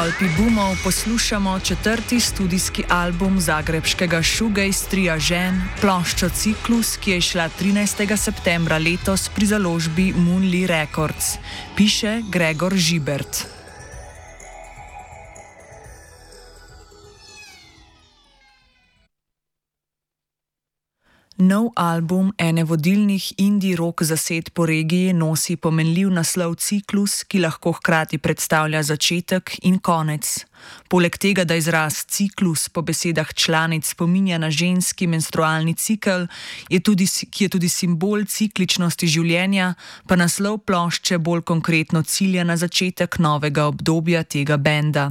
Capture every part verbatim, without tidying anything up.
Tolpi boomov poslušamo četrti studijski album zagrebškega shoegaze tria Žen, ploščo Ciklus, ki je izšla trinajstega septembra letos pri založbi Moonly Records. Piše Gregor Žibert. Nov album ene vodilnih indie rock zasedb po regiji nosi pomenljiv naslov Ciklus, ki lahko hkrati predstavlja začetek in konec. Poleg tega, da izraz ciklus po besedah članic spominja na ženski menstrualni cikel, je tudi, ki je tudi simbol cikličnosti življenja, pa naslov plošče bolj konkretno cilja na začetek novega obdobja tega benda.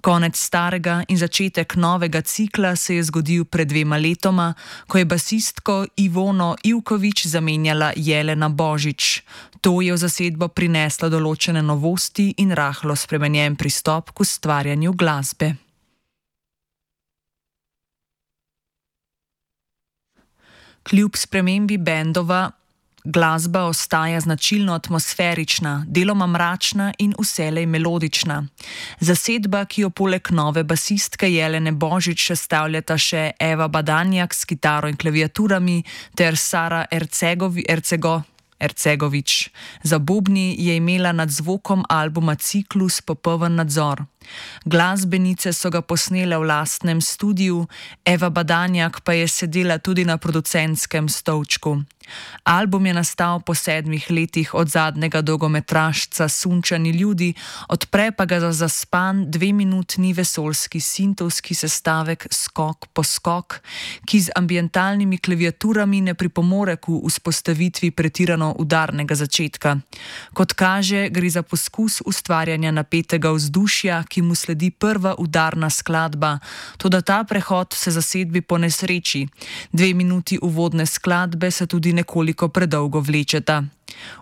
Konec starega in začetek novega cikla se je zgodil pred dvema letoma, ko je basistko Ivono Ivković zamenjala Jelena Božič. To je v zasedbo prineslo določene novosti in rahlo spremenjen pristop k ustvarjanju glasbe. Kljub spremembi bendova glasba ostaja značilno atmosferična, deloma mračna in vselej melodična. Zasedba, ki jo poleg nove basistke Jelene Božič sestavljata še Eva Badanjak s kitaro in klaviaturami ter Sara Ercegovi, Ercego, Ercegović. Za bobni je imela nad zvokom albuma Ciklus popoln nadzor. Glasbenice so ga posnele v lastnem studiu, Eva Badanjak pa je sedela tudi na producentskem stolčku. Album je nastal po sedmih letih od zadnjega dolgometražca Sunčani ljudi, odpre pa ga za zaspan dveminutni vesoljski sintovski sestavek Skok po skok, ki z ambientalnimi klaviaturami ne pripomore k vzpostavitvi pretirano udarnega začetka. Kot kaže, gre za poskus ustvarjanja napetega vzdušja, ki mu sledi prva udarna skladba, toda ta prehod se zasedbi ponesreči. Dve minuti uvodne skladbe se tudi nekoliko predolgo vlečeta.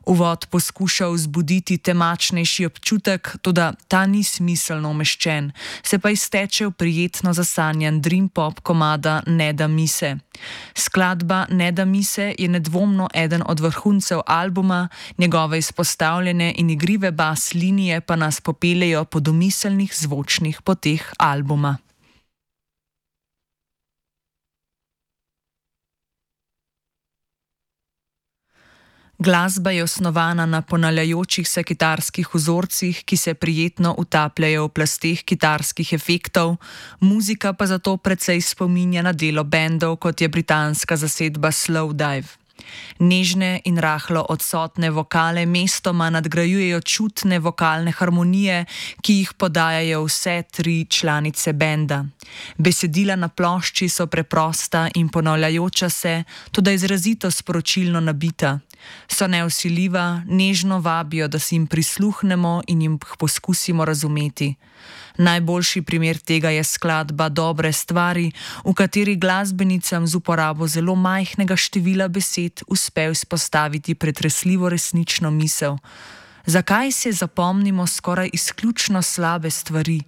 Uvod poskuša vzbuditi temačnejši občutek, toda ta ni smiselno umeščen, se pa izteče v prijetno zasanjan dream pop komada Ne da mi se. Skladba Ne da mi se je nedvomno eden od vrhuncev albuma, njegove izpostavljene in igrive bas linije pa nas popeljejo po domiselnih zvočnih poteh albuma. Glasba je osnovana na ponavljajočih se kitarskih vzorcih, ki se prijetno utapljajo v plasteh kitarskih efektov, muzika pa zato precej spominja na delo bendov, kot je britanska zasedba Slowdive. Nežne in rahlo odsotne vokale mestoma nadgrajujejo čutne vokalne harmonije, ki jih podajajo vse tri članice benda. Besedila na plošči so preprosta in ponavljajoča se, toda izrazito sporočilno nabita. So nevsiljiva, nežno vabijo, da si jim prisluhnemo in jim poskusimo razumeti. Najboljši primer tega je skladba Dobre stvari, v kateri glasbenicam z uporabo zelo majhnega števila besed uspe izpostaviti pretresljivo resnično misel. Zakaj se zapomnimo skoraj izključno slabe stvari?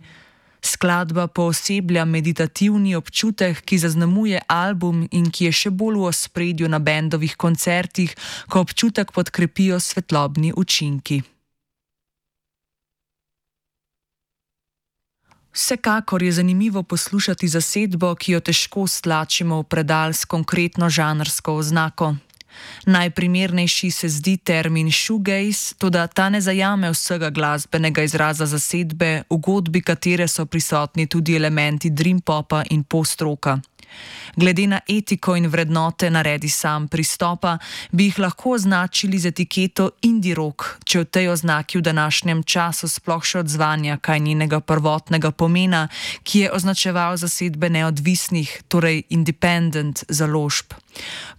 Skladba pooseblja meditativni občutek, ki zaznamuje album in ki je še bolj v ospredju na bendovih koncertih, ko občutek podkrepijo svetlobni učinki. Vsekakor je zanimivo poslušati zasedbo, ki jo težko stlačimo v predal s konkretno žanrsko oznako. Najprimernejši se zdi termin shoegaze, toda ta ne zajame vsega glasbenega izraza zasedbe, v godbi katere so prisotni tudi elementi dream popa in post-rocka. Glede na etiko in vrednote naredi sam pristopa, bi jih lahko označili z etiketo indie rock, če v tej oznaki v današnjem času sploh še odzvanja kaj njenega prvotnega pomena, ki je označeval zasedbe neodvisnih, torej independent založb.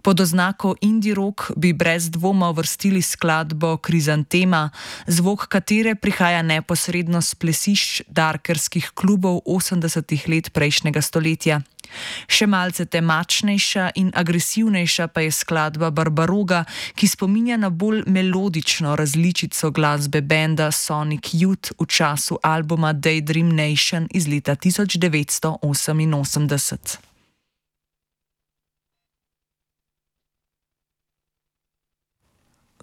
Pod oznako indie rock bi brez dvoma uvrstili skladbo Krizantema, zvok katere prihaja neposredno s plesišč darkerskih klubov osemdesetih let prejšnjega stoletja. Še malce temačnejša in agresivnejša pa je skladba Barbaroga, ki spominja na bolj melodično različico glasbe benda Sonic Youth v času albuma Daydream Nation iz leta tisoč devetsto oseminosemdeset.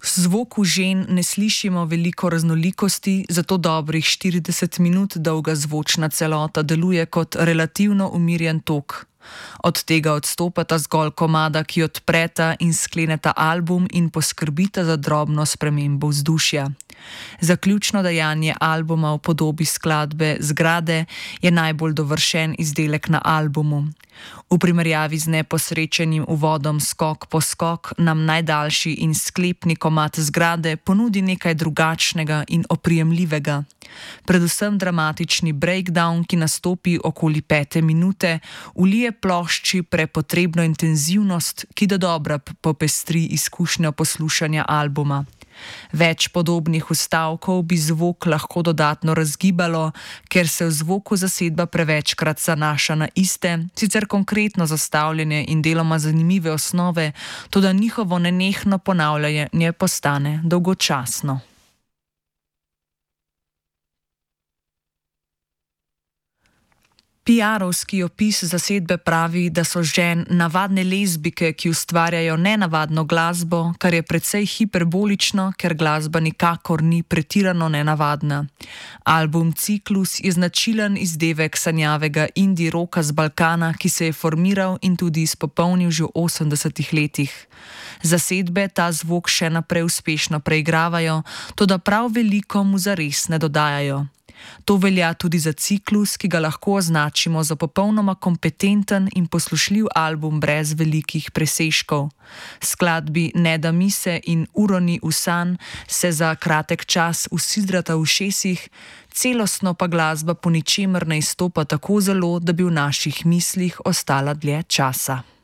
zvoku žen ne slišimo veliko raznolikosti, zato dobrih štirideset minut dolga zvočna celota deluje kot relativno umirjen tok. Od tega odstopata zgolj komada, ki odpreta in skleneta album in poskrbita za drobno spremembo vzdušja. Zaključno dejanje albuma v podobi skladbe Zgrade je najbolj dovršen izdelek na albumu. V primerjavi z neposrečenim uvodom Skok po skok nam najdaljši in sklepni komad Zgrade ponudi nekaj drugačnega in oprijemljivega. Predvsem dramatični breakdown, ki nastopi okoli pete minute, vlije plošči prepotrebno intenzivnost, ki dodobra popestri izkušnjo poslušanja albuma. Več podobnih vstavkov bi zvok lahko dodatno razgibalo, ker se v zvoku zasedba prevečkrat zanaša na iste, sicer konkretno zastavljene in deloma zanimive osnove, toda njihovo nenehno ponavljanje postane dolgočasno. Piarovski opis zasedbe pravi, da so žen navadne lezbike, ki ustvarjajo nenavadno glasbo, kar je precej hiperbolično, ker glasba nikakor ni pretirano nenavadna. Album Ciklus je značilen izdevek sanjavega indie roka z Balkana, ki se je formiral in tudi izpopolnil že v osemdesetih letih. Zasedbe ta zvok še naprej uspešno preigravajo, toda prav veliko mu zares ne dodajajo. To velja tudi za Ciklus, ki ga lahko označimo za popolnoma kompetenten in poslušljiv album brez velikih presežkov. Skladbi Ne da mise in Uroni v san se za kratek čas usidrata v ušesih, celostno pa glasba po ničemer ne izstopa tako zelo, da bi v naših mislih ostala dlje časa.